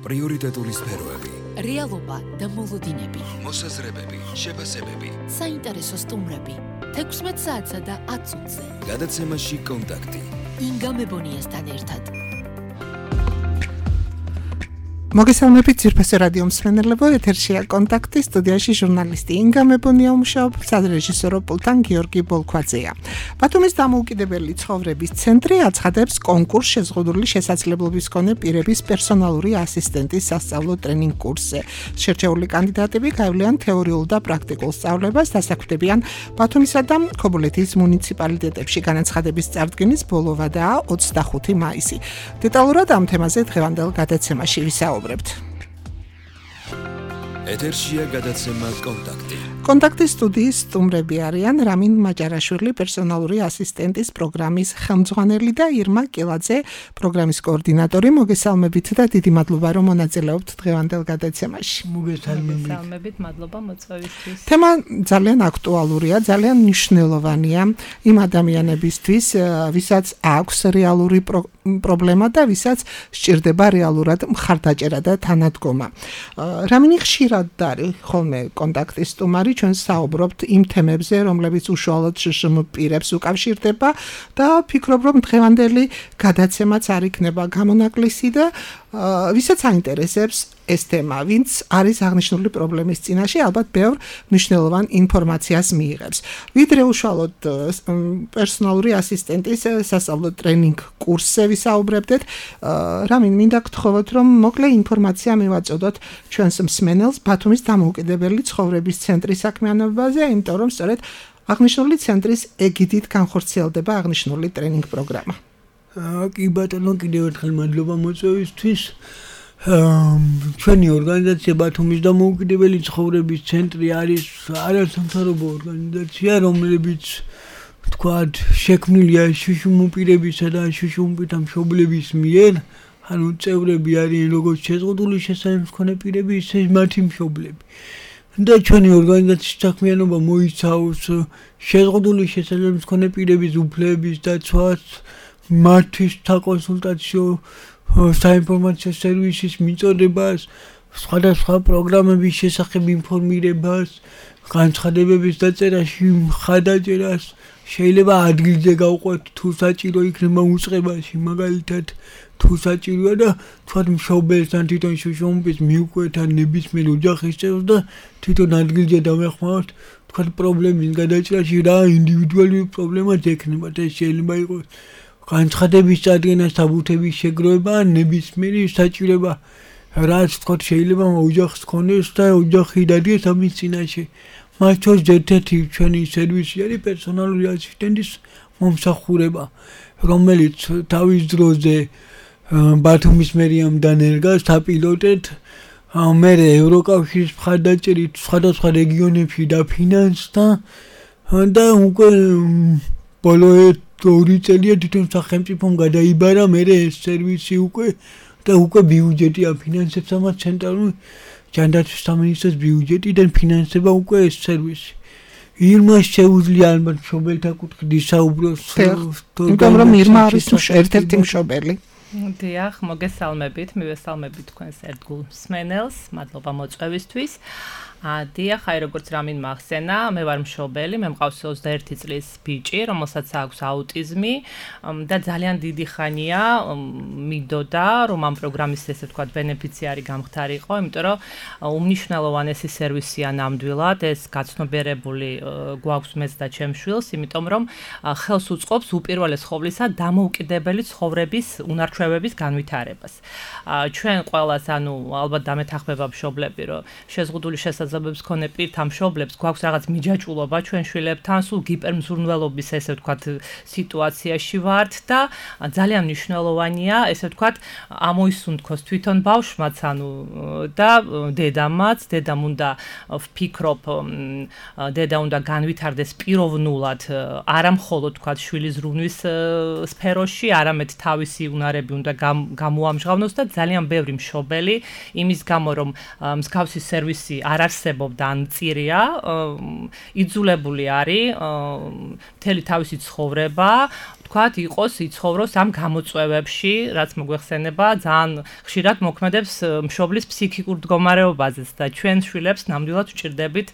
პრიორიტეტული სფეროები, რეალობა და მოლოდინები, მოსაზრებები, შეფასებები, საინტერესო სტუმრები, 16 საათსა და 10 წუთზე. გადაცემაში კონტაქტი. ინგა მებონიასთან ერთად. მოგესალმებით ძირფასი რადიო მსმენელებო, ეთერშია კონტაქტი, სტუდიაში ჟურნალისტი ინგა მებონია მუშაობს, სადრეჟისორო პულტთან გიორგი ბოლქვაძეა. ბათუმის დამოუკიდებელი ცხოვრების ცენტრი აცხადებს კონკურსს შეზღუდული შესაძლებლობის მქონე პირების პერსონალური ასისტენტის სასწავლო ტრენინგ კურსზე. შერჩეული კანდიდატები გაივლიან თეორიულ და პრაქტიკულ სწავლებას, დასაქმდებიან ბათუმისა და ქობულეთის მუნიციპალიტეტებში. განაცხადების წარდგენის ბოლოვადაა 25 მაისი. დეტალურად ამ თემაზე დღევანდელ გადაცემაში ვისაუბრებთ. ეთერშია გადაცემა კონტაქტი. კონტაქტის სტუდიის სტუმრები არიან რამინ მაჭარაშვილი, პერსონალური ასისტენტის პროგრამის ხელმძღვანელი და ირმა კილაძე, პროგრამის კოორდინატორი. მოგესალმებით და დიდი მადლობა, რომ მონაწილეობთ დღევანდელ გადაცემაში. მოგესალმებით, მადლობა მოწვევისთვის. თემა ძალიან აქტუალურია, ძალიან მნიშვნელოვანია იმ ადამიანებისთვის, ვისაც აქვს რეალური პრობლემა და ვისაც სჭირდება რეალურად მხარდაჭერა და თანადგომა. რამინი ხშირად არის ხოლმე კონტაქტის სტუმარი, ჩვენ საუბრობთ იმ თემებზე, რომლებიც უშუალოდ პირებს უკავშირდება და ფიქრობ, რომ დღევანდელი გადაცემაც არ იქნება გამონაკლისი და ვისაც აინტერესებს ეს თემა, ვინც არის აღნიშნული პრობლემის წინაშე, ალბათ ბევრ მნიშვნელოვან ინფორმაციას მიიღებს. ვიდრე უშუალოდ პერსონალური ასისტენტის სასწავლო ტრენინგ კურსზე ვისაუბრებდეთ, რამინ მინდა გთხოვოთ, რომ მოკლე ინფორმაცია მივაწოდოთ ჩვენს მსმენელს ბათუმის დამოუკიდებელი ცხოვრების ცენტრის საქმიანობაზე, იმიტომ რომ სწორედ აღნიშნული ცენტრის ეგიდით განხორციელდება აღნიშნული ტრენინგ პროგრამა. კი ბატონო, კიდევ ერთხელ მადლობა მოწვევისთვის. ჩვენი ორგანიზაცია ბათუმის დამოუკიდებელი ცხოვრების ცენტრი არის არასამთავრობო ორგანიზაცია, რომლებიც თქვათ შექმნილია შუშუმპირებისა და შუშუმპირთა მშობლების მიერ, ანუ წევრები არიან როგორც შეზღუდული შესაძლებლობის მქონე პირები, ისე მათი მშობლები. და ჩვენი ორგანიზაციის საქმიანობა მოიცავს შეზღუდული შესაძლებლობის მქონე პირების უფლებების დაცვას, მათთვის საკონსულტაციო საინფორმაციო სერვისის მიწოდებას, სხვადასხვა პროგრამების შესახებ ინფორმირებას, განცხადებების დაწერაში მხარდაჭერას, შეიძლება ადგილზე გავყვეთ თუ საჭირო იქნება უწყებაში, მაგალითად თუ საჭიროა და თქვათ მშობელს ან თვითონ შუშუმპირს მიუყვეთ ან ნებისმიერ ოჯახის წევრს და თვითონ ადგილზე დავეხმაროთ თქვათ პრობლემის გადაჭრაში რა ინდივიდუალური პრობლემაც ექნება და შეიძლება იყოს განცხადების წარდგენა, საბუთების შეგროვება, ნებისმიერი საჭიროება, რაც თქვათ შეიძლება ოჯახს ქონდეს და ოჯახი დადგეს ამის წინაშე. მას შორის ერთ-ერთი ჩვენი სერვისი არის პერსონალური ასისტენტის მომსახურება, რომელიც თავის დროზე ბათუმის მერიამ დანერგა საპილოტედ, მერე ევროკავშირის მხარდაჭერით სხვადასხვა რეგიონებში დაფინანსდა და უკვე ბოლო 2 წელია თვითონ სახელმწიფომ გადაიბარა მერე ეს სერვისი უკვე და უკვე ბიუჯეტი აფინანსებს ამას ცენტრალური ჯანდაცვის სამინისტროს ბიუჯეტიდან ფინანსება უკვე ეს სერვისი. ირმას შეუძლია ალბათ მშობელთა კუთხით ისაუბროს, იმიტომ რომ ირმა არის ერთ-ერთი მშობელი. დიახ, მოგესალმებით, მივესალმებით თქვენს ერთგულ მსმენელს, მადლობა მოწვევისთვის. დიახ, აი როგორც რამინ მახსენა, მე ვარ მშობელი, მე მყავს 21 წლის ბიჭი, რომელსაც აქვს აუტიზმი და ძალიან დიდი ხანია მინდოდა, რომ ამ პროგრამის ესე ვთქვათ ბენეფიციარი გამხდარიყო, იმიტომ რომ უმნიშვნელოვანესი სერვისია ნამდვილად, ეს გაცნობიერებული გვაქვს მეც და ჩემს შვილს, იმიტომ რომ ხელს უწყობს უპირველეს ყოვლისა დამოუკიდებელი ცხოვრების უნარჩვევების განვითარებას. ჩვენ ყველას, ანუ ალბათ დამეთანხმება მშობლები, რომ შეზღუდული შესაძლებლობის მქონე პირთა მშობლებს გვაქვს რაღაც მიჯაჭულობა ჩვენ შვილებთან, სულ გიპერმზრუნველობის ესე ვთქვათ სიტუაციაში ვართ და ძალიან მნიშვნელოვანია ესე ვთქვათ ამოისუნთქოს თვითონ ბავშვმაც, ანუ და დედამაც, დედამ უნდა ვფიქრობ, დედა უნდა განვითარდეს პიროვნულად, არა მხოლოდ ვთქვათ შვილის ზრუნვის სფეროში, არამედ თავისი უნარები უნდა გამოამჟღავნოს და ძალიან ბევრი მშობელი იმის გამო რომ მსგავსი სერვისი არ არსებობდა ან მწირია, იძულებული არის მთელი თავისი ცხოვრება თქვათ, იყოს იცხოვროს ამ გამოწვევებში, რაც მოგვეხსენება, ძალიან ხშირად მოქმედებს მშობლის ფსიქიკურ მდგომარეობაზეც და ჩვენ შვილებს ნამდვილად ვჭირდებით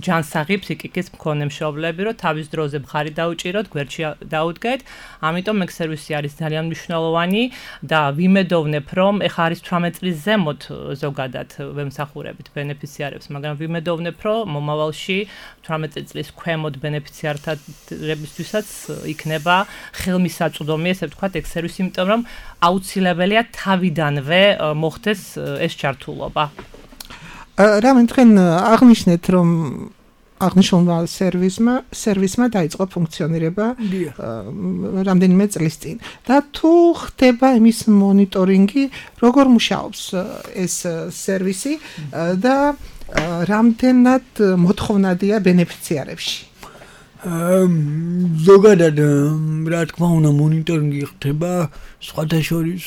ჯანსაღი ფსიქიკის მქონე მშობლები, რომ თავის დროზე მხარი დაუჭიროთ, გვერდში დაუდგეთ. ამიტომ ეგ სერვისი არის ძალიან მნიშვნელოვანი და ვიმედოვნებ, რომ ეხა არის 18 წლის ზემოთ ზოგადად ვემსახურებით ბენეფიციარებს, მაგრამ ვიმედოვნებ, რომ მომავალში 18 წლის ქვემოთ ბენეფიციარებისთვისაც იქნება ხელმისაწვდომი, ესე ვთქვათ, ეგ სერვისი, იმიტომ რომ აუცილებელია თავიდანვე მოხდეს ეს ჩართულობა. რამე თქვენ აღნიშნეთ, რომ აღნიშნულმა სერვისმა დაიწყო ფუნქციონირება რამდენიმე წლის წინ და თუ ხდება იმის მონიტორინგი, როგორ მუშაობს ეს სერვისი და რამდენად მოთხოვნადია ბენეფიციარებში? ზოგადად რა თქმა უნდა მონიტორინგი ხდება სხვათა შორის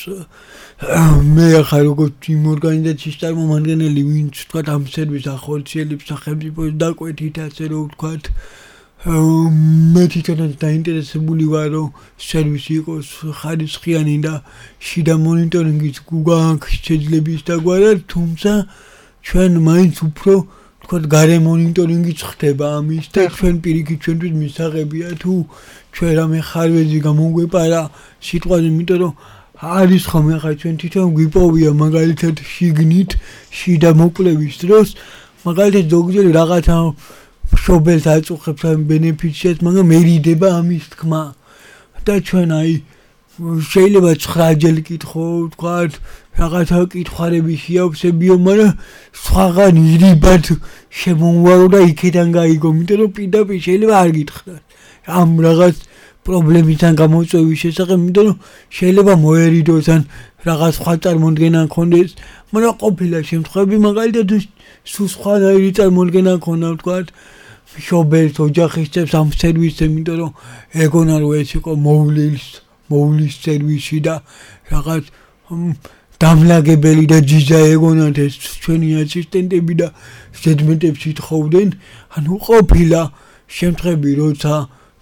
მე ახლა როგორც იმ ორგანიზაციის წარმომადგენელი, ვინც თქვა ამ სერვისს ახორციელებს სახელმწიფოს დაკვეთით, ასე რომ ვთქვათ, მე თვითონაც დაინტერესებული ვარ, რომ სერვისი იყოს ხარისხიანი და შიდა მონიტორინგის გვაქვს შეძლების დაგვარად, თუმცა ჩვენ მაინც უფრო თქვათ გარე მონიტორინგიც ხდება ამის და ჩვენ პირიქით ჩვენთვის მისაღებია თუ ჩვენ რამე ხარვეზი გამოგვეპარა სიტყვაზე, იმიტომ რომ არის ხოლმე ახლა ჩვენ თვითონ გვიპოვია მაგალითად შიგნით შიდა მოკვლევის დროს მაგალითად ზოგჯერ რაღაცა მშობელს აწუხებს ამ ბენეფიციარს, მაგრამ მერიდება ამის თქმა და ჩვენ აი შეიძლება 9 ჯერ კითხო, ვთქვათ, რაღაცა კითხარები შეავსებიო, მაგრამ სხვაგან ირიბად შემოვარო და იქიდან გაიგო, იმიტომ რომ პირდაპირ შეიძლება არ გითხრათ ამ რაღაც პრობლემიდან გამოწვევის შესახებ, იმიტომ რომ შეიძლება მოერიდოს ან რაღაც სხვა წარმოდგენა ქონდეს, მაგრამ ყოფილა შემთხვევები მაგალითად სულ სხვადასხვა წარმოდგენა ქონდა, ვთქვათ, მშობელს ოჯახის წევრს ამ სერვისზე, იმიტომ რომ ეგონა რომ ეს იყო მოვლის სერვისი და რაღაც დამლაგებელი და ჯიჯა ეგონათ ეს ჩვენი ასისტენტები და ზედმეტებს ითხოვდნენ, ანუ ყოფილა შემთხვევები, როცა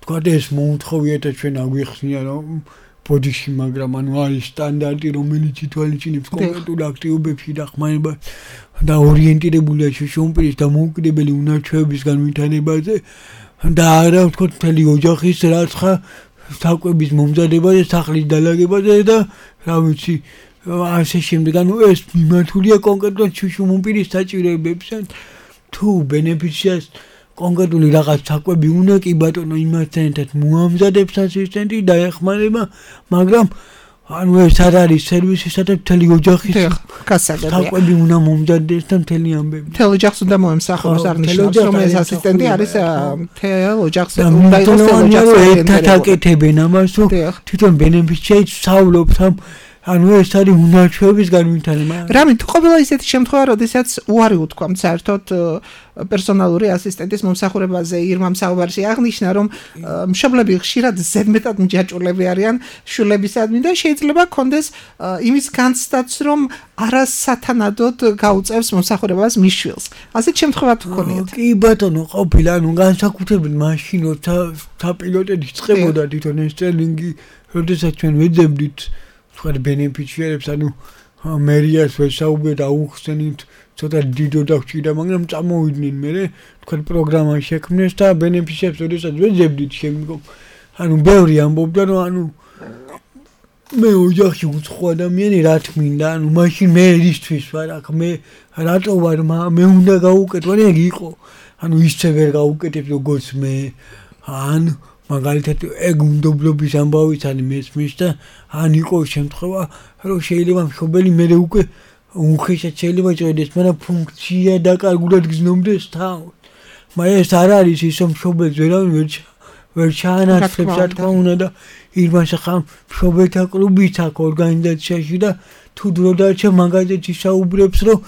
თქვათ ეს მოუთხოვიათ და ჩვენ აგვიხსნია რომ ბოდიში, მაგრამ ანუ არის სტანდარტი, რომელიც ითვალისწინებს კონკრეტულ აქტივობებში დახმარებას და ორიენტირებულია შიშუმპირის და მოუკიდებელი უნარჩვევების განვითარებაზე და არა ვთქვათ მთელი ოჯახის რაცხა საკვების მომზადებაზე, სახლის დალაგებაზე და რა ვიცი ასე შემდეგ, ანუ ეს მიმართულია კონკრეტულად შიშუმპირის საჭიროებებთან. თუ ბენეფიციარს კონკრეტული რაღაც საკვები უნდა, კი ბატონო, იმასთან ერთად მოამზადებს ასისტენტი და ეხმარება, მაგრამ ანუ ეს არ არის სერვისი, სადაც მთელი ოჯახის საკვები უნდა მომზადდეს და მთელი ამბები. მთელ ოჯახს უნდა მოემსახუროს, არ ნიშნავს, რომ ეს ასისტენტი არის მთელ ოჯახს უნდა იყოს მთელ ოჯახს ერთად აკეთებენ ამას, რომ თვითონ ბენეფიციარი სწავლობს ამ ანუ ეს არის უნარჩვევების განვითარება. რამე თუ ყოფილა ისეთი შემთხვევა, როდესაც უარი უთქვამთ საერთოდ პერსონალური ასისტენტის მომსახურებაზე, ირმამ საუბარში აღნიშნა, რომ მშობლები ხშირად ზედმეტად მჯაჭვულები არიან შვილებისადმი და შეიძლება კონდეს იმის განცდაც, რომ არასათანადოდ გაუწევს მომსახურებას მის შვილს. ასეთ შემთხვევა თუ გქონიათ? კი ბატონო, ყოფილა, ანუ განსაკუთრებით მაშინ, როცა საპილოტედ იწყებოდა თვითონ ეს ტრენინგი, როდესაც ჩვენ ვეძებდით თქვათ ბენეფიციარებს, ანუ მერიას ვესაუბრეთ, აუხსენით, ცოტა დიდო დაგჭირდა, მაგრამ წამოვიდნენ მერე, თქვათ პროგრამა შექმნეს და ბენეფიციარებს როდესაც ვეძებდით შემდგომ, ანუ ბევრი ამბობდა, რომ ანუ მე ოჯახში უცხო ადამიანი რა თმინდა, ანუ მაშინ მე ერისთვის ვარ აქ, მე რატო ვარ, მე უნდა გავუკეთო, ეგ იყო, ანუ ისე ვერ გავუკეთებ როგორც მე, ან მაგალითად ეგ უნდობლობის ამბავიც არის მესმის და ან იყო შემთხვევა, რომ შეიძლება მშობელი მერე უკვე უხეშად შეიძლება ჭრედეს, მაგრამ ფუნქცია დაკარგულად გზნობდეს თავს. მაგრამ ეს არ არის ის, რომ მშობელს ვერ ჩაანაცვლებს, რა თქმა უნდა და ირმას ახლა მშობელთა კლუბიც აქვს ორგანიზაციაში და თუ დრო დარჩა მაგაზეც ისაუბრებს, რომ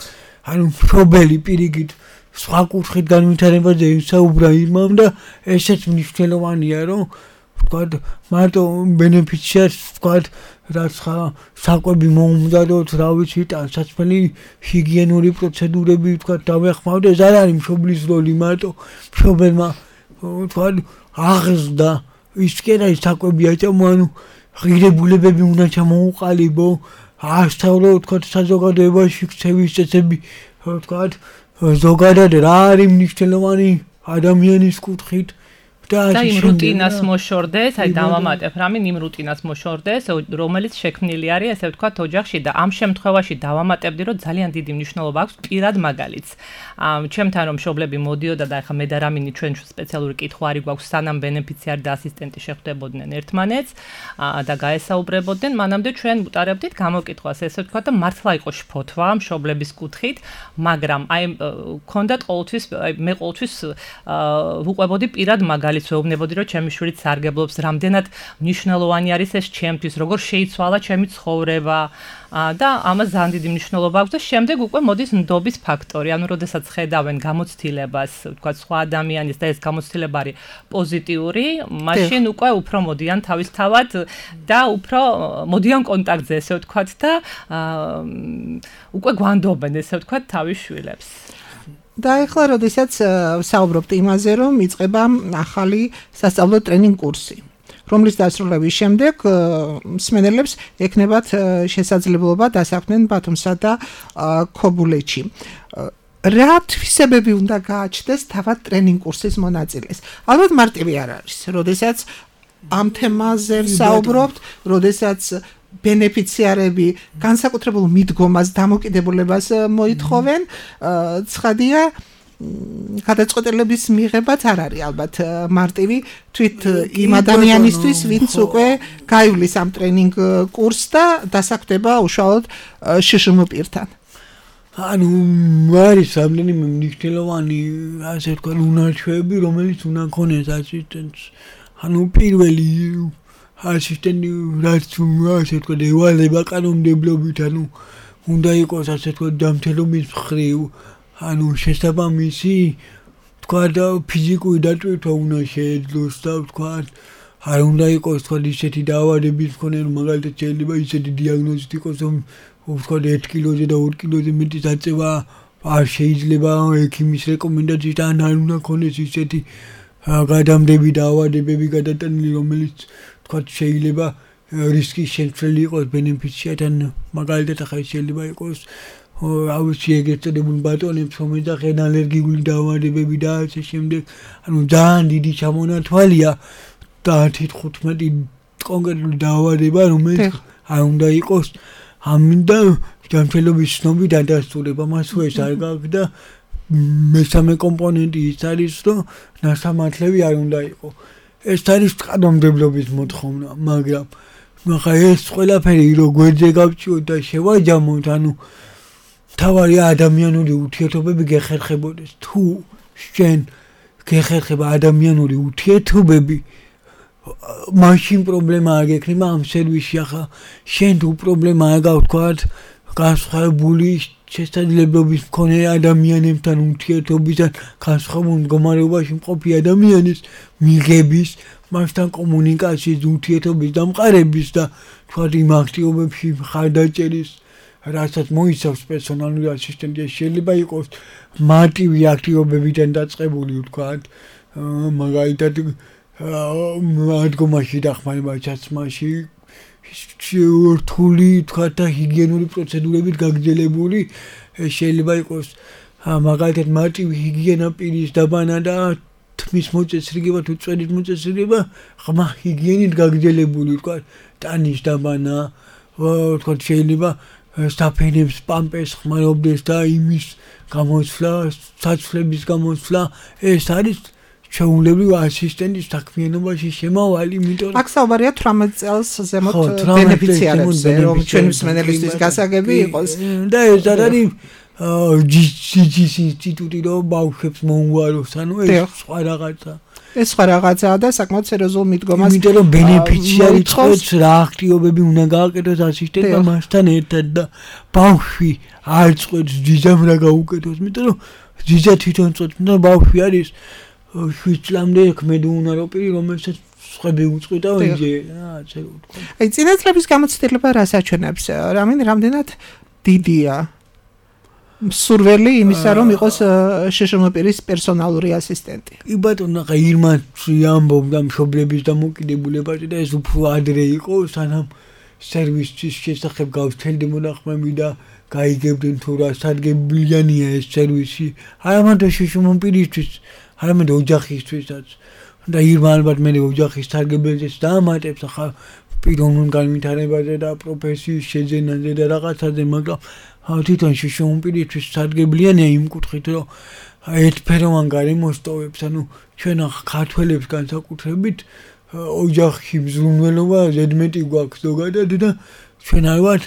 ანუ მშობელი პირიქით სხვა კუთხით განვითარებაზე ისაუბრა ირმამ და ესეც მნიშვნელოვანია, რომ ვთქვათ, მარტო ბენეფიციარს ვთქვათ, რაც საკვები მოუმზადოთ, რა ვიცი, ტანსაცმელი ჰიგიენური პროცედურები ვთქვათ, დავეხმაროთ, ეს არ არის მშობლის როლი, მარტო მშობელმა ვთქვათ, აღზრდა ის კი არა ის საკვები აჭამო, ანუ ღირებულებები უნდა ჩამოუყალიბო, ასწავლო თქვა საზოგადოებაში ქცევის წესები, თქვა ზოგადად რა არის მნიშვნელოვანი ადამიანის კუთხით და იმ რუტინას მოშორდეს, აი დავამატებ რამე იმ რუტინას მოშორდეს, რომელიც შექმნილი არის, ესე ვთქვათ, ოჯახში და ამ შემთხვევაში დავამატებდი, რომ ძალიან დიდი მნიშვნელობა აქვს პირად მაგალითს. ჩემთან რომ მშობლები მოდიოდა და ახლა მე და რამინი ჩვენ სპეციალური კითხვა არის გვაქვს, სანამ ბენეფიციარი და ასისტენტი შეხვდებოდნენ ერთმანეთს და გაესაუბრებოდნენ, მანამდე ჩვენ უტარებდით გამოკითხვას, ესე ვთქვათ, და მართლა იყო შფოთვა მშობლების კუთხით, მაგრამ აი ქონდათ ყოველთვის, მე ყოველთვის ვუყვებოდი პირად მაგალითს ვეუბნებოდი, რომ ჩემი შვილი სარგებლობს, რამდენად მნიშვნელოვანი არის ეს ჩემთვის, როგორ შეიცვალა ჩემი ცხოვრება და ამას ძალიან დიდი მნიშვნელობა აქვს და შემდეგ უკვე მოდის ნდობის ფაქტორი, ანუ როდესაც ხედავენ გამოცდილებას, ვთქვათ, სხვა ადამიანის და ეს გამოცდილება არის პოზიტიური, მაშინ უკვე უფრო მოდიან თავისთავად და უფრო მოდიან კონტაქტზე, ესე ვთქვათ და უკვე გვანდობენ, ესე ვთქვათ, თავის შვილებს. და ახლა როდესაც საუბრობთ იმაზე, რომ იწყება ახალი სასწავლო ტრენინგ კურსი, რომლის დასრულების შემდეგ მსმენელებს ექნებათ შესაძლებლობა დასაქმდნენ ბათუმსა და ქობულეთში. რა თვისებები უნდა გააჩნდეს თავად ტრენინგ კურსის მონაწილეს? ალბათ მარტივი არ არის, როდესაც ამ თემაზე საუბრობთ, როდესაც ბენეფიციარები განსაკუთრებულ მიდგომას, დამოკიდებულებას მოითხოვენ, ცხადია, გადაწყვეტილების მიღებაც არ არის ალბათ მარტივი თვით იმ ადამიანისთვის, ვინც უკვე გაივლის ამ ტრენინგ კურსს და დასაქმდება უშუალოდ შშმ პირთან. ანუ არის რამდენიმე მნიშვნელოვანი, ასე ვთქვათ, უნარჩვევები, რომელიც უნდა ქონდეს ასისტენტს. ანუ პირველი ასისტენტი რაც ასე ვთქვათ, ევალება კანონმდებლობით, ანუ უნდა იყოს ასე ვთქვათ, ჯანმრთელობის მხრივ, ანუ შესაბამისი, ვთქვათ, ფიზიკური დატვირთვა უნდა შეეძლოს და ვთქვათ, არ უნდა იყოს ვთქვათ ისეთი დაავადების მქონე, რომ მაგალითად შეიძლება ისეთი დიაგნოზით იყოს, რომ ვთქვათ 1 კილოზე და 2 კილოზე მეტი დაწევა არ შეიძლება ექიმის რეკომენდაციიდან, არ უნდა ქონდეს ისეთი გადამდები დაავადებები გადატანილი, რომელიც ვთქვათ შეიძლება რისკის შემცველი იყოს ბენეფიციართან, მაგალითად ახლა შეიძლება იყოს ავიცი ეგრეთ წოდებული ბატონებს, რომელიც ახლა ალერგიული დაავადებები და ასე შემდეგ, ანუ ძალიან დიდი ჩამონათვალია და 10-15 კონკრეტული დაავადება, რომელიც არ უნდა იყოს ამინდა ჯანმრთელობის ცნობის დადასტურება, მასვე ეს არ გაქვს და მესამე კომპონენტი ის არის, რომ ნასამართლები არ უნდა იყოს. ეს არის კანონმდებლობის მოთხოვნა, მაგრამ ახლა ეს ყველაფერი რო გვერდზე გავწიოთ და შევაჯამოთ, ანუ თავარი ადამიანური ურთიერთობები გეხერხებოდეს. თუ შენ გეხერხება ადამიანური ურთიერთობები, მაშინ პრობლემა არ გექნება ამ სერვისში. ახლა შენ თუ პრობლემა არ გაქვს, თქვათ, განსხვავებული შესაძლებლობის მქონე ადამიანებთან ურთიერთობიდან, განსხვავებულ მდგომარეობაში მყოფი ადამიანის მიღების, მასთან კომუნიკაციის, ურთიერთობის დამყარების და თქვათ იმ აქტივობებში მხარდაჭერის, რასაც მოიცავს პერსონალური ასისტენტი, შეიძლება იყოს მარტივი აქტივობებიდან დაწყებული, თქვათ, მაგალითად ადგომაში დახმარება ჩაცმაში, რთული თქვათ და ჰიგიენური პროცედურებით გაგრძელებული, შეიძლება იყოს მაგალითად მარტივი ჰიგიენა პირის დაბანა და თმის მოწესრიგება თუ წვერის მოწესრიგება, ღრმა ჰიგიენით გაგრძელებული, თქვათ, ტანის დაბანა, თქვათ შეიძლება საფენებს პამპეს ხმარობდეს და იმის გამოსვლა, საცვლების გამოსვლა, ეს არის ჩვეულებრივ ასისტენტის საქმიანობაში შემავალი, იმიტომ აქ საუბარია 18 წელს ზემოთ ბენეფიციარებზე, რომ ჩვენი მსმენელისთვის გასაგები იყოს. და ეს არ არის ჯიჯის ინსტიტუტი, რომ ბავშვებს მოუაროს, ანუ ეს სხვა რაღაცა. ეს სხვა რაღაცაა და საკმაოდ სერიოზულ მიდგომას. იმიტომ რომ ბენეფიციარი წვეთს რა აქტივობები უნდა გააკეთოს ასისტენტმა მასთან ერთად და ბავშვი არ წვეთს ჯიჯამ რა გაუკეთოს, იმიტომ რომ ჯიჯა თვითონ წვეთს, და ბავშვი არის 7 წლამდე ქმედი უნარო პირი, რომელსაც სხვები უწყვეტა ვინჯე, ასე რომ ვთქვა. აი წინასწრების გამოცდილება რას აჩვენებს? რამდენად დიდია? სურველი იმისა რომ იყოს შეშმოპირის პერსონალური ასისტენტი. კი ბატონო, ხა ირმაც ამბობდა მშობლების დამოკიდებულებაზე და ეს უფრო ადრე იყო, სანამ სერვისის შესახებ გავცელდი მონახმები და გაიგებდნენ თუ რა სარგებლიანია ეს სერვისი. არა მარტო შეშმოპირისთვის, არამედ ოჯახისთვისაც. და ირმა ალბათ მე ოჯახის სარგებელზეც დაამატებს, ახლა პიროვნულ განვითარებაზე და პროფესიის შეძენაზე და რაღაცაზე, მაგრამ თვითონ შეშმოპირისთვის სარგებლიანია იმ კუთხით, რომ ერთფეროვან გარემოს ტოვებს, ანუ ჩვენ ქართველებს განსაკუთრებით ოჯახში მზრუნველობა ზედმეტი გვაქვს ზოგადად და ჩვენ ალბათ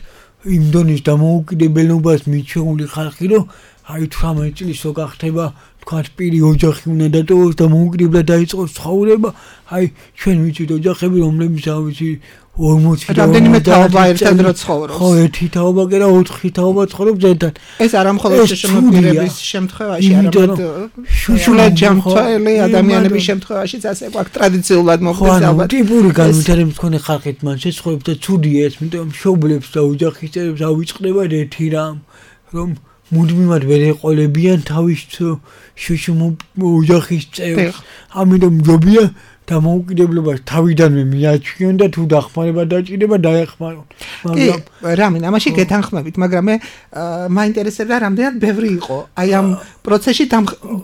იმ დონის დამოუკიდებლობას მიჩეული ხალხი, რომ აი 18 წლის რო გახდება თქვათ პირი ოჯახი უნდა დატოვოს და მოუკიდებლად დაიწყოს ცხოვრება, აი ჩვენ ვიცით ოჯახები, რომლებიც ავიცი 40 რამდენიმე თაობა ერთად რო ცხოვრობს. ხო, ერთი თაობა კი რა 4 თაობა ცხოვრობს ერთად. ეს არ მხოლოდ შეშმოპირების შემთხვევაში, არამედ შუშულაჯამთველი ადამიანების შემთხვევაშიც ასე გვაქვს ტრადიციულად მოხდეს ალბათ. ხო, ტიპური განვითარების მქონე ხალხით მან შეცხოვრებს და ცუდია ეს, იმიტომ მშობლებს და ოჯახის წევრებს ავიწყდებათ ერთი რამ, რომ მუდმივად ვერ ეყოლებიან თავის ოჯახის წევრს. ამიტომ ჯობია დამოუკიდებლობას თავიდანვე მიაჩვიონ და თუ დახმარება დაჭირდება დაეხმარონ. მაგრამ რამინ ამაში გეთანხმებით, მაგრამ მე მაინტერესებდა რამდენად ბევრი იყო აი ამ პროცესში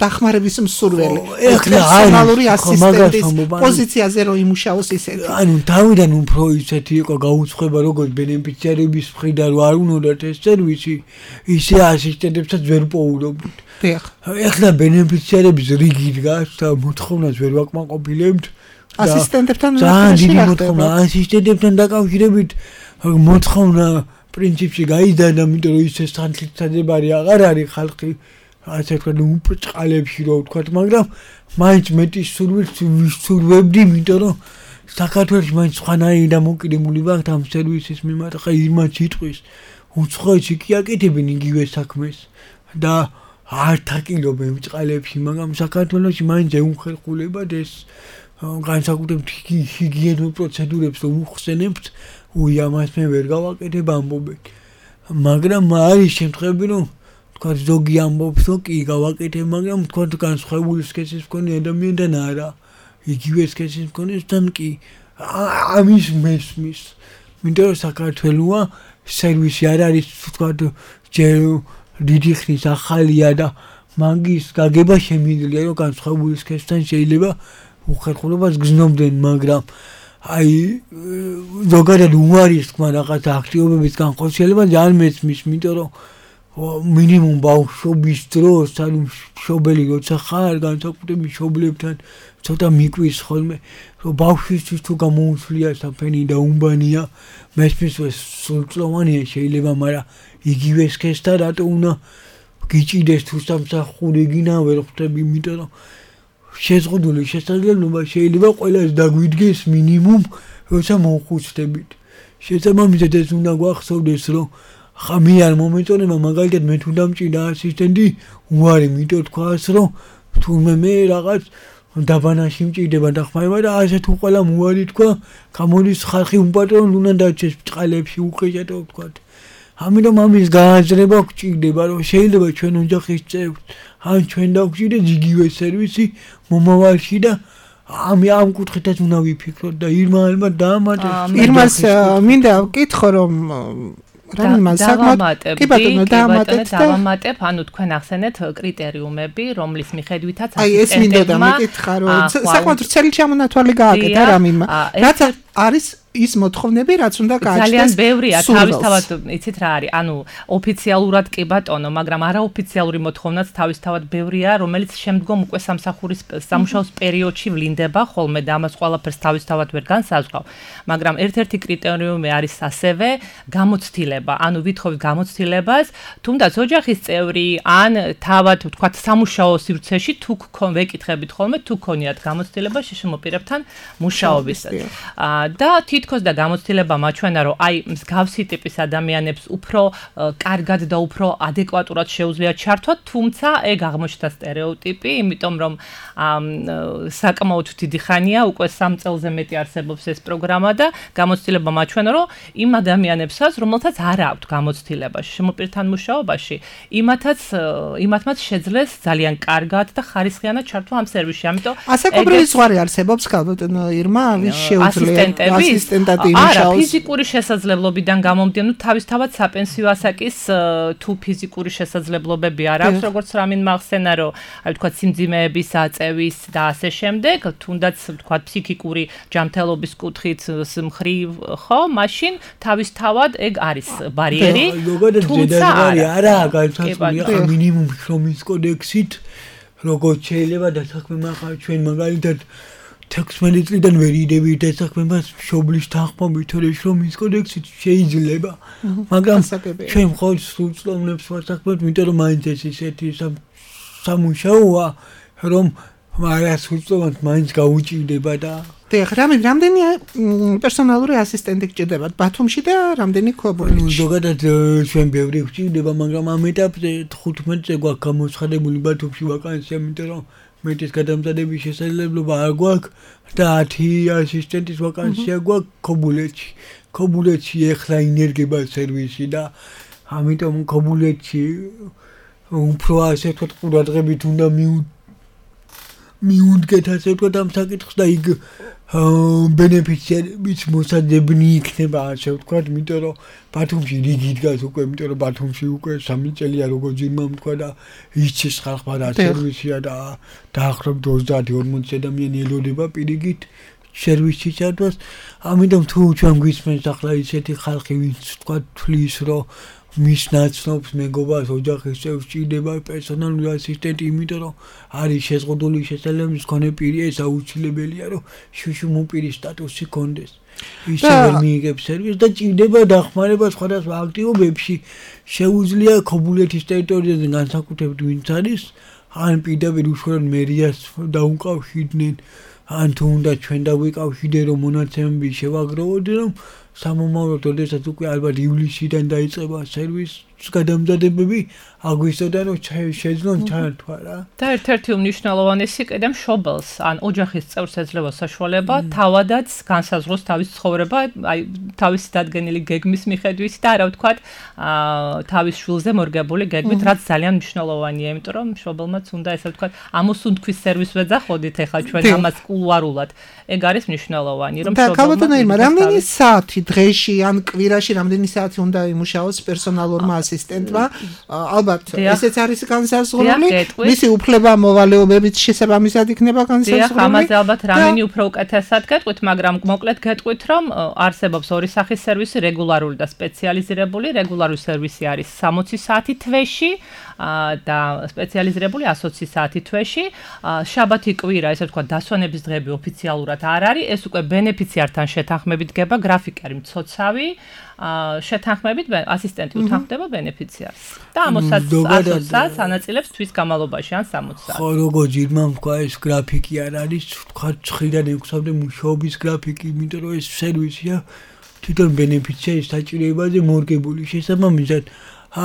დახმარების მსურველი. პერსონალური ასისტენტის პოზიციაზე რომ იმუშაოს ისეთი. ანუ თავიდან უფრო ისეთი იყო გაუცხება როგორც ბენეფიციარების მხრიდან რომ არ უნდათ ეს სერვისი, ისე ასისტენტებსაც ვერ პოულობდით. ეხლა ბენეფიციარების რიგი დგას და მოთხოვნას ვერ ვაკმაყოფილებთ. ასისტენტებთან ასისტენტებთან დაკავშირებით მოთხოვნა პრინციპში გაიზარდა, იმიტომ რომ ისე სანთლისწადებარი აღარ არის ხალხი, ასე ვთქვათ, უბრწყალებში რო ვთქვათ, მაგრამ მაინც მეტი სურვებდი, იმიტომ რომ საქართველოში მაინც სხვანაირი დამოკიდებული ვართ ამ სერვისის მიმართ. ხა ირმაც იტყვის, უცხოეთში კი აკეთებენ იგივე საქმეს და არ თაკილობენ ბრწყალებში, მაგრამ საქართველოში მაინც ეუხერხულებად ეს განსაკუთრებით ჰიგიენურ პროცედურებს რომ უხსენებთ, ამას მე ვერ გავაკეთებ ამბობენ. მაგრამ არის შემთხვევები, რომ თქვა ზოგი ამბობს, რომ კი გავაკეთებ, მაგრამ თქვა განსხვავებული სქესის მქონე ადამიანთან არა. იგივე სქესის მქონესთან კი ამის მესმის. იმიტომ რომ საქართველოა სერვისი არ არის თქვა ჯერ დიდი ხნის ახალია და მაგის გაგება შემიძლია, რომ განსხვავებული სქესთან შეიძლება უხერხულობას გზნობდნენ, მაგრამ აი ზოგადად უარის თქმა რაღაც აქტივობების განხორციელება ძალიან მესმის, იმიტომ რომ მინიმუმ ბავშვობის დროს, ანუ მშობელი როცა ხარ, განსაკუთრებით მშობლებთან ცოტა მიკვის ხოლმე, რომ ბავშვისთვის თუ გამოუცვლია საფენი და უმბანია, მესმის სრულწლოვანია შეიძლება, მაგრამ იგივე სქესთან რატო უნდა გიჭიდეს თუ სამსახური გინა ვერ ხვდები, იმიტომ რომ შეზღუდული შესაძლებლობა შეიძლება ყველას დაგვიდგეს მინიმუმ როცა მოხუცდებით. შესაბამისად ეს უნდა გვახსოვდეს, რომ ხა მე არ მომეწონება, მაგალითად მე თუ დამჭირდა ასისტენტი, უარი მითო თქვას, რომ თურმე მე რაღაც დაბანაში მჭირდება დახმარება და ასე თუ ყველა უარი თქვა, გამოდის ხალხი უპატრონოდ უნდა დარჩეს ბრწყალებში უხეჭადო ვთქვათ. ამიტომ ამის გააზრება გვჭირდება, რომ შეიძლება ჩვენ ოჯახის წევრს ან ჩვენ დავგვჭირდეს იგივე სერვისი მომავალში და ამ კუთხითაც უნდა ვიფიქროთ და ირმა ალბათ დაამატებს. ირმას მინდა ვკითხო, რომ დავამატებ, ანუ თქვენ ახსენეთ კრიტერიუმები, რომლის მიხედვითაც ეს მინდოდა მეკითხა, რომ საკმაოდ ვრცელი ჩამონათვალი გააკეთა რამინმა. რაც არის ის მოთხოვნები, რაც უნდა გააჩნდეს. ძალიან ბევრია, თავისთავად იცით რა არის, ანუ ოფიციალურად კი ბატონო, მაგრამ არაოფიციალური მოთხოვნაც თავისთავად ბევრია, რომელიც შემდგომ უკვე სამსახურის სამუშაოს პერიოდში ვლინდება ხოლმე და ამას ყველაფერს თავისთავად ვერ განსაზღვრავ, მაგრამ ერთ-ერთი კრიტერიუმი არის ასევე გამოცდილება, ანუ ვითხოვთ გამოცდილებას, თუნდაც ოჯახის წევრი ან თავად ვთქვათ სამუშაო სივრცეში თუ ვეკითხებით ხოლმე თუ ქონიათ გამოცდილება შეშმოპირებთან მუშაობისას. და თითქოს და გამოცდილება მაჩვენა, რომ აი მსგავსი ტიპის ადამიანებს უფრო კარგად და უფრო ადეკვატურად შეუძლიათ ჩართვათ, თუმცა ეგ აღმოჩნდა სტერეოტიპი, იმიტომ რომ საკმაოდ დიდი ხანია, უკვე 3 წელზე მეტი არსებობს ეს პროგრამა და გამოცდილება მაჩვენა, რომ იმ ადამიანებსაც, რომელთაც არ აქვთ გამოცდილებაში შემოპირთან მუშაობაში, იმათაც შეძლეს ძალიან კარგად და ხარისხიანად ჩართვა ამ სერვისში. ამიტომ ასაკობრივი ზღვარი არსებობს ქალბატონო ირმა, ვის შეუძლია ასისტენტად იმუშაოს. არა, ფიზიკური შესაძლებლობიდან გამომდინარე, თავისთავად საპენსიო ასაკის თუ ფიზიკური შესაძლებლობები არ აქვს, როგორც რამინ მახსენა, რომ აი თქვა სიმძიმეების აწევის და ასე შემდეგ, თუნდაც თქვა ფსიქიკური ჯანმრთელობის კუთხით მხრივ, ხო, მაშინ თავისთავად ეგ არის ბარიერი. თუმცა არა, განსაზღვრულია ხა მინიმუმ შრომის კოდექსით, როგორც შეიძლება დასაქმება ხა ჩვენ მაგალითად 16 წლიდან ვერ იდებით დასაქმებას მშობლის თანხმობით, თორე შრომის კოდექსით შეიძლება. მაგრამ ჩვენ მხოლოდ სრულწლოვნებს ვასაქმებთ, იმიტომ რომ მაინც ეს ისეთი სამუშაოა, რომ არასრულწლოვნად მაინც გაუჭირდება და დიახ, რამდენი პერსონალური ასისტენტი გჭირდებათ ბათუმში და რამდენი ქობულეთში? ზოგადად ჩვენ ბევრი გვჭირდება, მაგრამ ამ ეტაპზე 15-ზე გვაქვს გამოცხადებული ბათუმში ვაკანსია, იმიტომ რომ მეტის გადამზადების შესაძლებლობა არ გვაქვს და 10 ასისტენტის ვაკანსია გვაქვს ქობულეთში. ქობულეთში ეხლა ინერგება სერვისი და ამიტომ ქობულეთში უფრო ასე ვთქვათ ყურადღებით უნდა მიუდგეთ ასე ვთქვათ ამ საკითხს და იქ ბენეფიციარებიც მოსაძებნი იქნება ასე ვთქვათ, იმიტომ რომ ბათუმში რიგი დგას უკვე, იმიტომ რომ ბათუმში უკვე 3 წელია როგორც იმამ თქვა და იცის ხალხმა რა სერვისია და დაახლოებით 30-40 ადამიანი ელოდება პირიქით სერვისში ჩართვას. ამიტომ თუ ჩვენ გვისმენს ახლა ისეთი ხალხი, ვინც ვთქვათ თვლის, რომ მის ნაცნობს მეგობარს ოჯახის წევრს ჭირდება პერსონალური ასისტენტი, იმიტომ რომ არის შეზღუდული შესაძლებლობის მქონე პირი, ეს აუცილებელია, რომ შუშუმ პირის სტატუსი კონდეს. ისე ვერ მიიღებს სერვისს და ჭირდება დახმარება სხვადასხვა აქტივობებში. შეუძლია ქობულეთის ტერიტორიაზე განსაკუთრებით ვინც არის, ან პირდაპირ უშუალოდ მერიას დაუკავშირდნენ, ან თუ უნდა ჩვენ დავიკავშირდე, რომ მონაცემები შევაგროვოთ, რომ სამომავლოდ როდესაც უკვე ალბათ ივლისიდან დაიწყება სერვისის გადამზადებები, აგვისტოდან რომ შეძლონ ჩართვა რა. და ერთ-ერთი უმნიშვნელოვანესი კიდე მშობელს, ან ოჯახის წევრს ეძლევა საშუალება თავადაც განსაზღვროს თავის ცხოვრება, აი თავისი დადგენილი გეგმის მიხედვით და არა ვთქვათ, თავის შვილზე მორგებული გეგმით, რაც ძალიან მნიშვნელოვანია, იმიტომ რომ მშობელმაც უნდა ესე ვთქვათ, ამოსუნთქვის სერვისს ვეძახოდით ახლა ჩვენ ამას კულუარულად. ეგ არის მნიშვნელოვანი, რომ მშობელმა და ქალბატონო ირმა, რამდენი საათი დღეში ან კვირაში რამდენი საათი უნდა იმუშაოს პერსონალურმა ასისტენტმა? ალბათ ესეც არის განსაზღვრული, მისი უფლება მოვალეობებით შესაბამისად იქნება განსაზღვრული. დიახ, ამაზე ალბათ რამინი უფრო უკეთესად გეტყვით, მაგრამ მოკლედ გეტყვით, რომ არსებობს ორი სახის სერვისი, რეგულარული და სპეციალიზირებული. რეგულარული სერვისი არის 60 საათი თვეში და სპეციალიზირებული 120 საათი თვეში. შაბათი კვირა, ესე ვთქვათ, დასვენების დღეები ოფიციალურად არ არის, ეს უკვე ბენეფიციართან შეთანხმებით გება, გრაფიკი არის მცოცავი. შეთანხმებით ასისტენტი უთანხმდება ბენეფიციარს და ამ 100 საათს ანაწილებს თვის განმავლობაში ან 60 საათს. ხო, როგორც ირმამ თქვა, ეს გრაფიკი არ არის, თქვა 9-დან 6-მდე მუშაობის გრაფიკი, იმიტომ რომ ეს სერვისია თვითონ ბენეფიციარის საჭიროებაზე მორგებული. შესაბამისად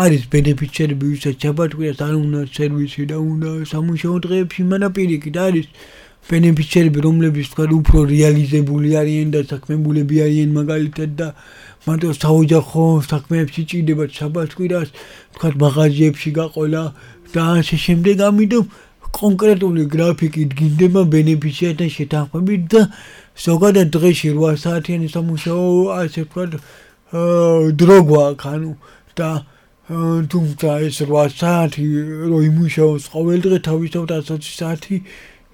არის ბენეფიციარები, ვისაც შაბათ-კვირას არ უნდა სერვისი და უნდა სამუშაო დღეებში, მაგრამ პირიქით არის ბენეფიციარები, რომლებიც თქვა უფრო რეალიზებული არიან და საქმებულები არიან მაგალითად და მარტო საოჯახო საქმეებში ჭირდება შაბათ-კვირას, თქვა მაღაზიებში გაყოლა და ასე შემდეგ, ამიტომ კონკრეტული გრაფიკი დგინდება ბენეფიციართან შეთანხმებით და ზოგადად დღეში 8 საათიანი სამუშაო, ასე ვთქვათ, დრო გვაქვს, ანუ და თუმცა ეს 8 საათი რო იმუშაოს ყოველ დღე, თავისთავად 120 საათი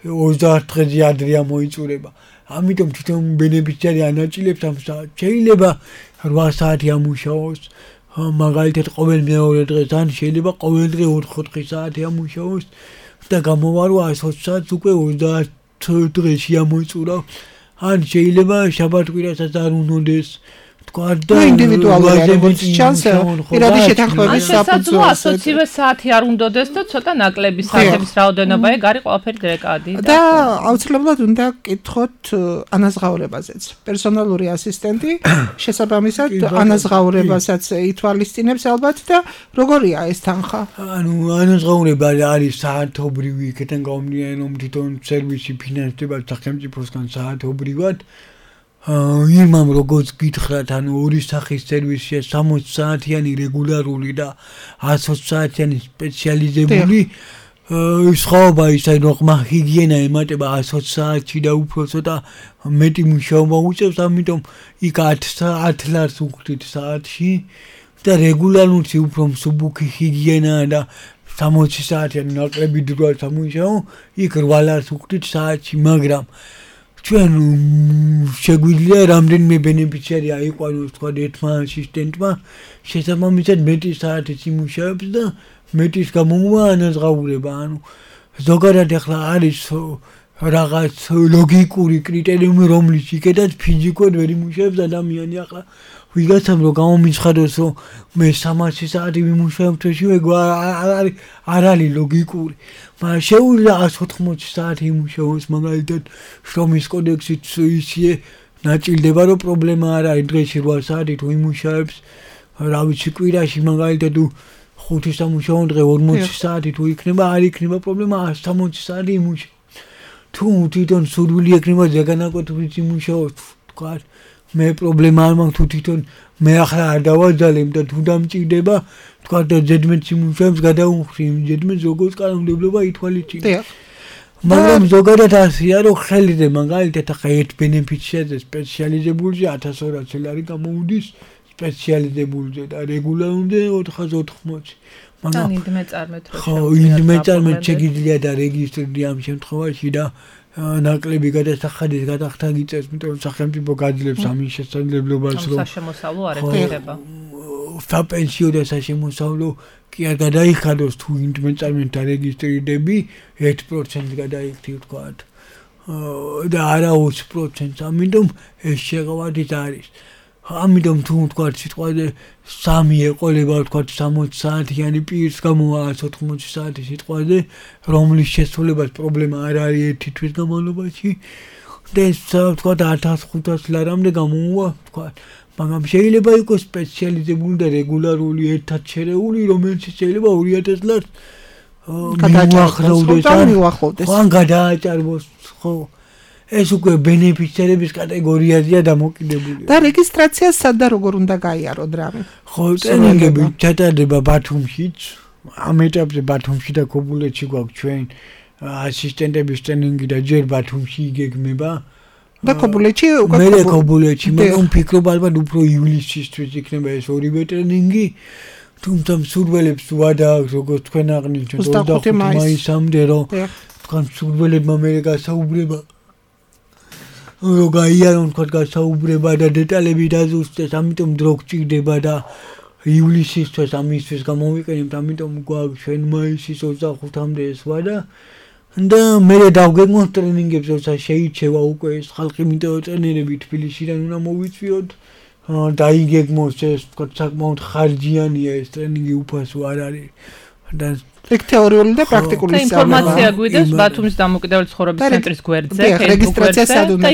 30 დღეზე ადრე მოიწურება. ამიტომ თვითონ ბენეფიციარი ანაწილებს ამ საათს. შეიძლება 8 საათი ამუშაოს, მაგალითად ყოველ მეორე დღეს, ან შეიძლება ყოველ დღე 4 საათი ამუშაოს და გამოვა რომ 120 საათს უკვე 30 დღეში ამოიწურა. ან შეიძლება შაბათ-კვირასაც არ უნოდეს. და ინდივიდუალურად როგორც ჩანს, პირადი შეთანხმების საფუძველზე 120-ზე საათი არ უნდადეს და ცოტა ნაკლები საათების რაოდენობა, ეგ არის ყველაფერი დრეკადი. და აუცილებლად უნდა გკითხოთ ანაზღაურებაზეც. პერსონალური ასისტენტი შესაბამისად ანაზღაურებასაც ითვალისწინებს ალბათ და როგორია ეს თანხა? ანუ ანაზღაურება არის საათობრივი, იქიდან გამომდინარე, რომ თვითონ სერვისი ფინანსდება სახელმწიფოსგან საათობრივად. იმამ როგორც გითხრათ, ანუ ორი სახის სერვისია 60 საათიანი რეგულარული და 120 საათიანი სპეციალიზებული. სხვაობა ისაა, რომ ყმა ჰიგიენა ემატება 120 საათში და უფრო ცოტა მეტი მუშაობა უწევს, ამიტომ იქ 10 ლარს უხდით საათში და რეგულარული უფრო მსუბუქი ჰიგიენაა და 60 საათიანი ნაკლები დროა სამუშაო, იქ 8 ლარს უხდით საათში, მაგრამ ჩვენ შეგვიძლია რამდენიმე ბენეფიციარი აიყვანოს თქვა ერთმა ასისტენტმა, შესაბამისად მეტი საათის იმუშავებს და მეტის გამოვა ანაზღაურება, ანუ ზოგადად ახლა არის რაღაც ლოგიკური კრიტერიუმი, რომლის იქედაც ფიზიკურად ვერ იმუშავებს ადამიანი. ახლა ვიღაცამ რომ გამომიცხადოს, რომ მე 300 საათი ვიმუშავებ თვეში, არ არის ლოგიკური. მაგრამ შეუძლია 180 საათი იმუშავოს, მაგალითად შრომის კოდექსით ისე ნაწილდება, რომ პრობლემა არ არის დღეში 8 საათი თუ იმუშავებს, რა ვიცი, კვირაში მაგალითად 5 სამუშაო დღე 40 საათი თუ იქნება, არ იქნება პრობლემა 160 საათი იმუშავოს. თუ თვითონ სურვილი ექნება ზეგანაკოთვით იმუშაოს, თქვა მე პრობლემა არ მაქვს, თუ თვითონ მე ახლა არ დავაძალებ და თუ დამჭირდება, თქვა და ზედმეტ იმუშავებს გადაუხრი, ზედმეტ როგორც კანონმდებლობა ითვალისწინებს. მაგრამ ზოგადად ასეა, რომ ხელზე მაგალითად ახლა ერთ ბენეფიციაზე სპეციალიზებულზე 1200 ლარი გამოვიდეს სპეციალიზებულზე და რეგულარულზე 480. მაგრამ ინდმე წარმეთ რო ხო, ინდმე წარმეთ შეგიძლია და რეგისტრირდი ამ შემთხვევაში და ნაკლები გადასახადის გადახდა გიწევს, იმიტომ რომ სახელმწიფო გაძლევს ამის შესაძლებლობას, რომ საშემოსავლო არ ეხება. საპენსიო და საშემოსავლო კი არ გადაიხადოს, თუ ინდმე წარმეთ რეგისტრირდები 1% გადაიქცი ვთქვათ. და არა 20%, ამიტომ ეს შეღავადით არის. ამიტომ თუ ვთქვათ სიტყვაზე 3 ეყოლება ვთქვათ 60 საათიანი პირს გამოვა 180 საათი სიტყვაზე, რომლის შესრულებას პრობლემა არ არის ერთი თვის განმავლობაში და ეს ვთქვათ 1500 ლარამდე გამოვა ვთქვათ. მაგრამ შეიძლება იყოს სპეციალიზებული და რეგულარული ერთად შერეული, რომელიც შეიძლება 2000 ლარს გადააჭარბოს. ხო, გადააჭარბოს, ხო. ეს უკვე ბენეფიციარების კატეგორიაზეა დამოკიდებული. და რეგისტრაცია სად და როგორ უნდა გაიაროთ რამე? ხო, ტრენინგები ჩატარდება ბათუმშიც. ამ ეტაპზე ბათუმში და ქობულეთში გვაქვს ჩვენ ასისტენტების ტრენინგი და ჯერ ბათუმში იგეგმება. და ქობულეთში უკვე მე ქობულეთში, მაგრამ ვფიქრობ ალბათ უფრო ივლისისთვის იქნება ეს ორივე ტრენინგი. თუმცა მსურველებს ვადააქვს, როგორც თქვენ აღნიშნეთ 25 მაისამდე, რომ თქვენ მსურველებმა მე გასაუბრება რომ გაიარონ თქვათ გასაუბრება და დეტალები დაზუსტეს, ამიტომ დრო გჭირდება და ივლისისთვის ამისთვის გამოვიყენებთ, ამიტომ გვაქვს ჩვენ მაისის 25-მდე ეს ვადა და მე დავგეგმოთ ტრენინგებს, როცა შეირჩევა უკვე ეს ხალხი, იმიტომ ტრენერები თბილისიდან უნდა მოვიწვიოთ და იგეგმოს ეს თქვათ საკმაოდ ხარჯიანია ეს ტრენინგი, უფასო არ არის და ეგ თეორიული და პრაქტიკული ინფორმაცია გვიდევს ბათუმის დამოუკიდებელი ცხოვრების ცენტრის გვერდზე, რეგისტრაცია სად უნდა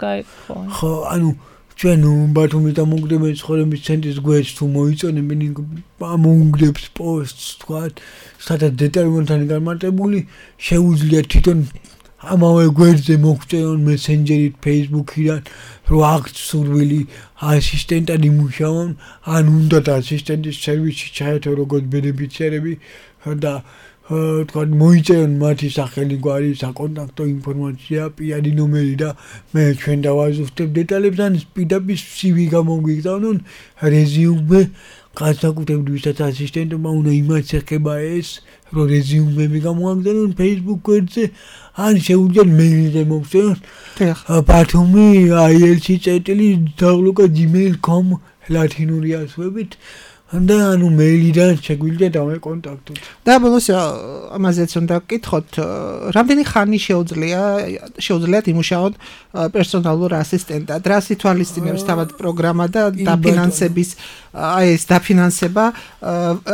გაიგო. ხო, ანუ ჩვენ ბათუმის დამოუკიდებელი ცხოვრების ცენტრის გვერდს თუ მოიწონებენ, მოუნგდებს პოსტს, თქვათ, სადაც დეტალურად განმარტებული, შეუძლია თვითონ ამავე გვერდზე მოგწერონ მესენჯერით, Facebook-იდან, რომ აქ სურვილი ასისტენტად იმუშაონ, ან უნდათ ასისტენტის სერვისში ჩაერთო როგორც ბენეფიციარები და თქვათ მოიწერონ მათი სახელი, გვარი, საკონტაქტო ინფორმაცია, პირადი ნომერი და მე ჩვენ დავაზუსტებ დეტალებს, ან პირდაპირ CV გამოგიგზავნონ, რეზიუმე განსაკუთრებით ვისაც ასისტენტმა უნდა იმას ეხება ეს, რომ რეზიუმები გამოაგზავნონ Facebook გვერდზე, ან შეუძლიათ მეილზე მოგწერონ ბათუმი ILC@gmail.com ლათინური ასოებით და ანუ მეილიდან შეგვიძლია დავეკონტაქტოთ. და ბოლოს ამაზეც უნდა გკითხოთ, რამდენი ხანი შეუძლიათ იმუშაოთ პერსონალურ ასისტენტად, რა სითვალისწინებს თავად პროგრამა და დაფინანსების ეს დაფინანსება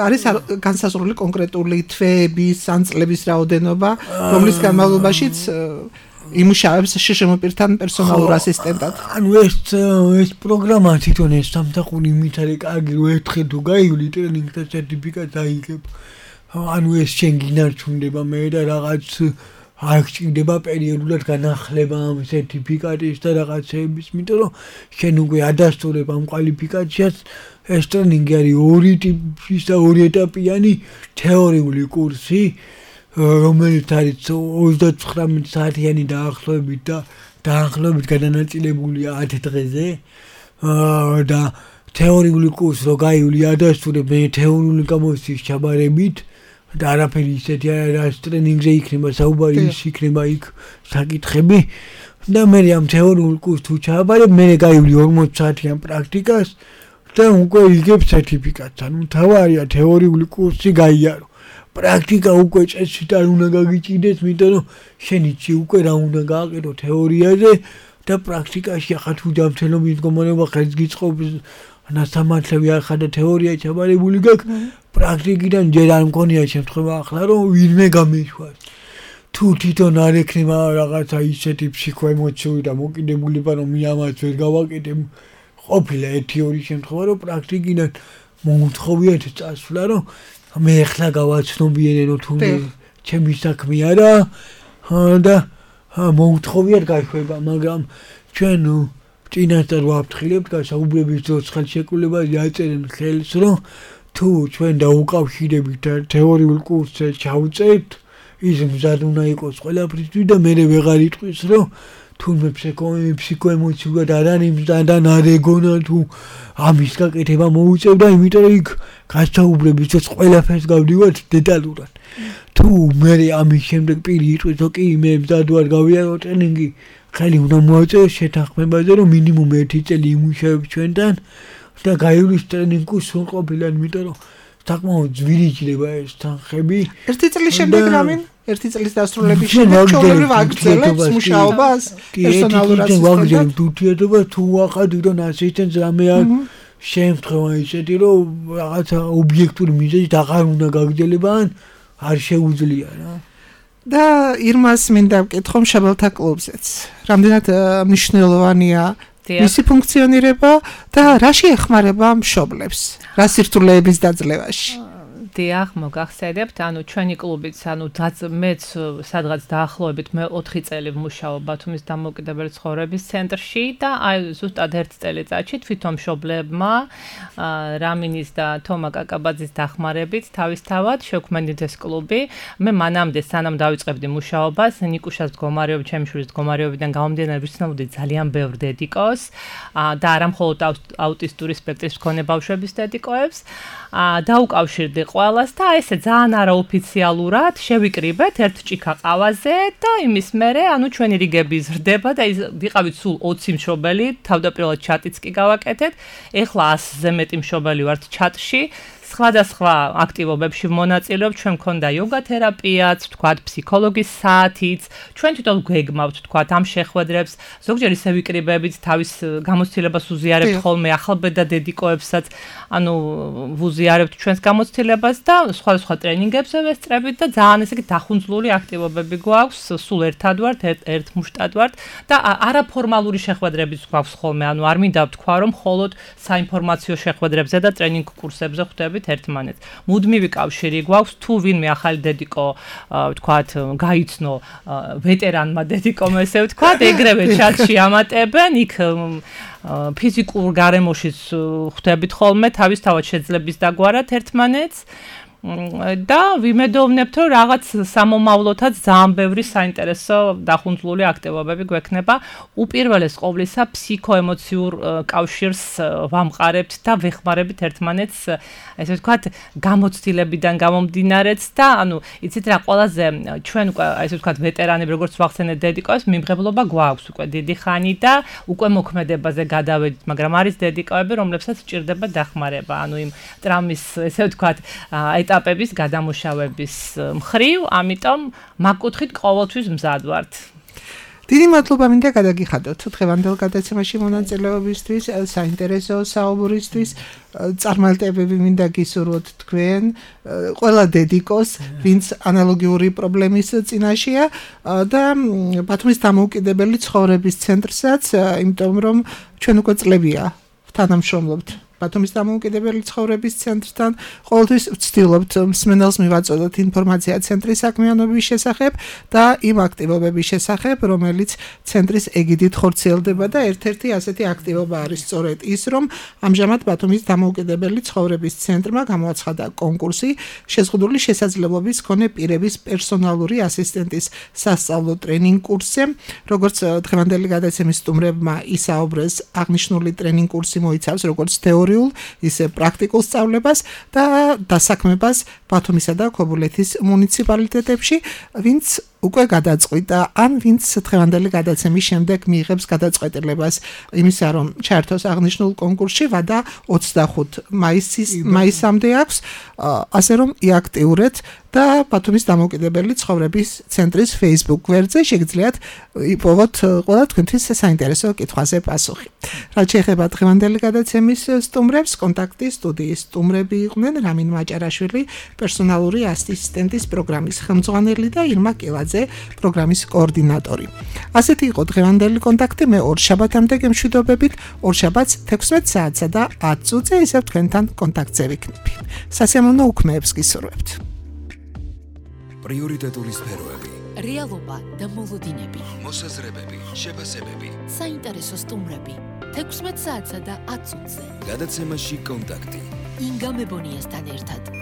არის განსაზღვრული კონკრეტული თვეების ან წლების რაოდენობა, რომლის განმავლობაშიც იმუშავებს შშმ-პირთან პერსონალურ ასისტენტად. ანუ ეს პროგრამა თვითონ ეს სამსახური იმით არის კარგი, რომ ერთხელ თუ გაივლი ტრენინგთა სერტიფიკატს აიღებ. ანუ ეს შენ გინარჩუნდება მე და რაღაც არ გჭირდება პერიოდულად განახლება ამ სერტიფიკატის და რაღაცეების, იმიტომ რომ შენ უკვე ადასტურებ ამ კვალიფიკაციას. ეს ტრენინგი არის ორი ტიპის და ორი ეტაპიანი თეორიული კურსი, რომელიც არის 39 საათიანი დაახლოებით გადანაწილებულია 10 დღეზე. და თეორიული კურსი რო გაივლი ადასტურებ მე თეორიული გამოცდის ჩაბარებით და არაფერი ისეთი არის ტრენინგზე იქნება საუბარი ის იქნება იქ საკითხები და მე ამ თეორიულ კურსს თუ ჩაბარებ მე გაივლი 40 საათიან პრაქტიკას და უკვე იგებ სერტიფიკატს. ანუ თავარია თეორიული კურსი გაიარო. პრაქტიკა უკვე წესით არ უნდა გაგიჭირდეს, იმიტომ რომ შენი ჭი უკვე რა უნდა გააკეთო თეორიაზე და პრაქტიკაში ახლა თუ ჯანმრთელობის მდგომარეობა ხელს გიწყობს ნასამართლები ახლა და თეორია ჩაბარებული გაქვს, პრაქტიკიდან ჯერ არ მქონია შემთხვევა ახლა რომ ვინმე გამეშვას. თუ თვითონ არ ექნება რაღაცა ისეთი ფსიქოემოციური და მოკიდებულება რომ მე ამას ვერ გავაკეთებ, ყოფილა ერთი ორი შემთხვევა რომ პრაქტიკიდან მოუთხოვიათ წასვლა რომ მე ახლა გავაცნობიერო თუ ჩემი საქმე არა და მოუთხოვიათ გაშვება, მაგრამ ჩვენ წინასწარ ვაფრთხილებთ გასაუბრების დროს ხელშეკრულებაზე აწერენ ხელს რომ თუ ჩვენ დაუკავშირებით თეორიულ კურსზე ჩავწერთ ის მზად უნდა იყოს ყველაფრისთვის და მე ვეღარ იტყვის რომ თუნდაც ფსიქოემოციურად არ არის მზად და არ ეგონა თუ ამის გაკეთება მოუწევდა, იმიტომ რომ იქ გასაუბრების დროს ყველაფერს გავდივართ დეტალურად. თუ მე ამის შემდეგ პირი იტყვის რომ კი მე მზად ვარ გავიარო ტრენინგი, ხელი უნდა მოაწევოს შეთანხმებაზე რომ მინიმუმ 1 წელი იმუშავებ ჩვენთან და გაივლის ტრენინგს სრულყოფილად, იმიტომ რომ საკმაოდ ძვირი ჭირდება ეს თანხები. 1 წლის შემდეგ რამინ? 1 წლის დასრულების შემდეგ ჩვეულებრივ აგრძელებს მუშაობას პერსონალურად ვაგრძელებთ ურთიერთობას თუ ვახად ვიდრე ასისტენტს რამე არ შემთხვევა ისეთი რომ რაღაცა ობიექტური მიზეზით აღარ უნდა გაგრძელება ან არ შეუძლია რა. და ირმას მინდა ვკითხო მშობელთა კლუბზეც. რამდენად მნიშვნელოვანია მისი ფუნქციონირება და რა შეეხმარება მშობლებს რა სირთულეების დაძლევაში? დიახ, მოგახსენებთ, ანუ ჩვენი კლუბიც, ანუ მეც სადღაც დაახლოებით მე 4 წელი ვმუშაობ ბათუმის დამოუკიდებელი ცხოვრების ცენტრში და აი ზუსტად 1 წელიწადში თვითონ მშობლებმა რამინის და თომა კაკაბაძის დახმარებით თავისთავად შევქმნით ეს კლუბი. მე მანამდე სანამ დავიწყებდი მუშაობას, ნიკუშას მდგომარეობა, ჩემი შვილის მდგომარეობიდან გამომდინარე ვიცნობდი ძალიან ბევრ დედიკოს და არა მხოლოდ აუტისტური სპექტრის მქონე ბავშვების დედიკოებს. დაუკავშირდი ყველას და ესე ძალიან არაოფიციალურად შევიკრიბეთ ერთ ჭიქა ყავაზე და იმის მერე ანუ ჩვენი რიგები ზრდება და ვიყავით სულ 20 მშობელი, თავდაპირველად ჩატიც კი გავაკეთეთ. ეხლა 100-ზე მეტი მშობელი ვართ ჩატში. სხვადასხვა აქტივობებში მონაწილეობ, ჩვენ მქონდა იოგა თერაპიაც, თქვათ ფსიქოლოგის საათიც, ჩვენ თვითონ გვეგმავთ თქვათ ამ შეხვედრებს, ზოგჯერ ისე ვიკრიბებით თავის გამოცდილებას უზიარებთ ხოლმე ახალბედა დედიკოებსაც, ანუ ვუზიარებთ ჩვენს გამოცდილებას და სხვადასხვა ტრენინგებზე ვესწრებით და ძალიან ესე დახუნძლული აქტივობები გვაქვს, სულ ერთად ვართ, ერთ მუშტად ვართ და არაფორმალური შეხვედრებიც გვაქვს ხოლმე, ანუ არ მინდა ვთქვა რომ მხოლოდ საინფორმაციო შეხვედრებზე და ტრენინგ კურსებზე ხვდებით ერთმანეთს. მუდმივი კავშირი გვაქვს, თუ ვინმე ახალი დედიკო ვთქვათ გაიცნო ვეტერანმა დედიკომ ესე ვთქვათ, ეგრევე ჩატში ამატებენ, იქ ფიზიკურ გარემოშიც ხვდებით ხოლმე თავისთავად შეძლების დაგვარად ერთმანეთს. და ვიმედოვნებთ რომ რაღაც სამომავლოთაც ძალიან ბევრი საინტერესო დახუნძლული აქტივობები გვექნება. უპირველეს ყოვლისა ფსიქოემოციურ კავშირს ვამყარებთ და ვეხმარებით ერთმანეთს, ესე ვთქვათ, გამოცდილებიდან გამომდინარეც და ანუ იცით რა, ყველაზე ჩვენ უკვე ესე ვთქვათ ვეტერანები როგორც ვახსენეთ დედიკოებს, მიმღებლობა გვაქვს უკვე დიდი ხანი და უკვე მოქმედებაზე გადავედით, მაგრამ არის დედიკოები, რომლებსაც სჭირდება დახმარება, ანუ იმ ტრამის ესე ვთქვათ ეტაპების გადამუშავების მხრივ, ამიტომ მაგ კუთხით ყოველთვის მზად ვართ. დიდი მადლობა მინდა გადაგიხადოთ დღევანდელ გადაცემაში მონაწილეობისთვის, საინტერესო საუბრისთვის, წარმატებები მინდა გისურვოთ თქვენ, ყველა დედიკოს, ვინც ანალოგიური პრობლემის წინაშეა და ბათუმის დამოუკიდებელი ცხოვრების ცენტრსაც, იმიტომ რომ ჩვენ უკვე წლებია თანამშრომლობთ ბათუმის დამოუკიდებელი ცხოვრების ცენტრთან. ყოველთვის ვცდილობთ მსმენელს მივაწოდოთ ინფორმაცია ცენტრის საქმიანობის შესახებ და იმ აქტივობების შესახებ, რომელიც ცენტრის ეგიდით ხორციელდება და ერთ-ერთი ასეთი აქტივობა არის სწორედ ის, რომ ამჟამად ბათუმის დამოუკიდებელი ცხოვრების ცენტრმა გამოაცხადა კონკურსი შეზღუდული შესაძლებლობის მქონე პირების პერსონალური ასისტენტის სასწავლო ტრენინგ კურსზე. როგორც დღევანდელი გადაცემის სტუმრებმა ისაუბრეს, აღნიშნული ტრენინგ კურსი მოიცავს როგორც თეორიულ, ისე პრაქტიკულ სწავლებას და დასაქმებას ბათუმისა და ქობულეთის მუნიციპალიტეტებში, ვინც უკვე გადაწყვიტა, ან ვინც დღევანდელი გადაცემის შემდეგ მიიღებს გადაწყვეტილებას იმისა, რომ ჩაერთოს აღნიშნულ კონკურსში, ვადა 25 მაისამდე აქვს, ასე რომ იაქტიურეთ და ბათუმის დამოუკიდებელი ცხოვრების ცენტრის Facebook გვერდზე შეგიძლიათ იპოვოთ ყველა თქვენთვის საინტერესო კითხვაზე პასუხი. რაც შეეხება დღევანდელი გადაცემის სტუმრებს, კონტაქტის სტუდიის სტუმრები იყვნენ რამინ მაჭარაშვილი, პერსონალური ასისტენტის პროგრამის ხელმძღვანელი და ირმა კილაძე, პროგრამის კოორდინატორი. ასეთი იყო დღევანდელი კონტაქტი. მე ორ შაბათამდე გემშვიდობებით, ორ შაბათს 16 საათსა და 10 წუთზე ისევ თქვენთან კონტაქტზე ვიქნები. სასიამოვნო უქმეებს გისურვებთ. პრიორიტეტული სფეროები, რეალობა და მოლოდინები, მოსაზრებები, შეფასებები. საინტერესო სტუმრები 16 საათსა და 10 წუთზე. გადაცემაში კონტაქტი. ინგა მებონიასთან ერთად.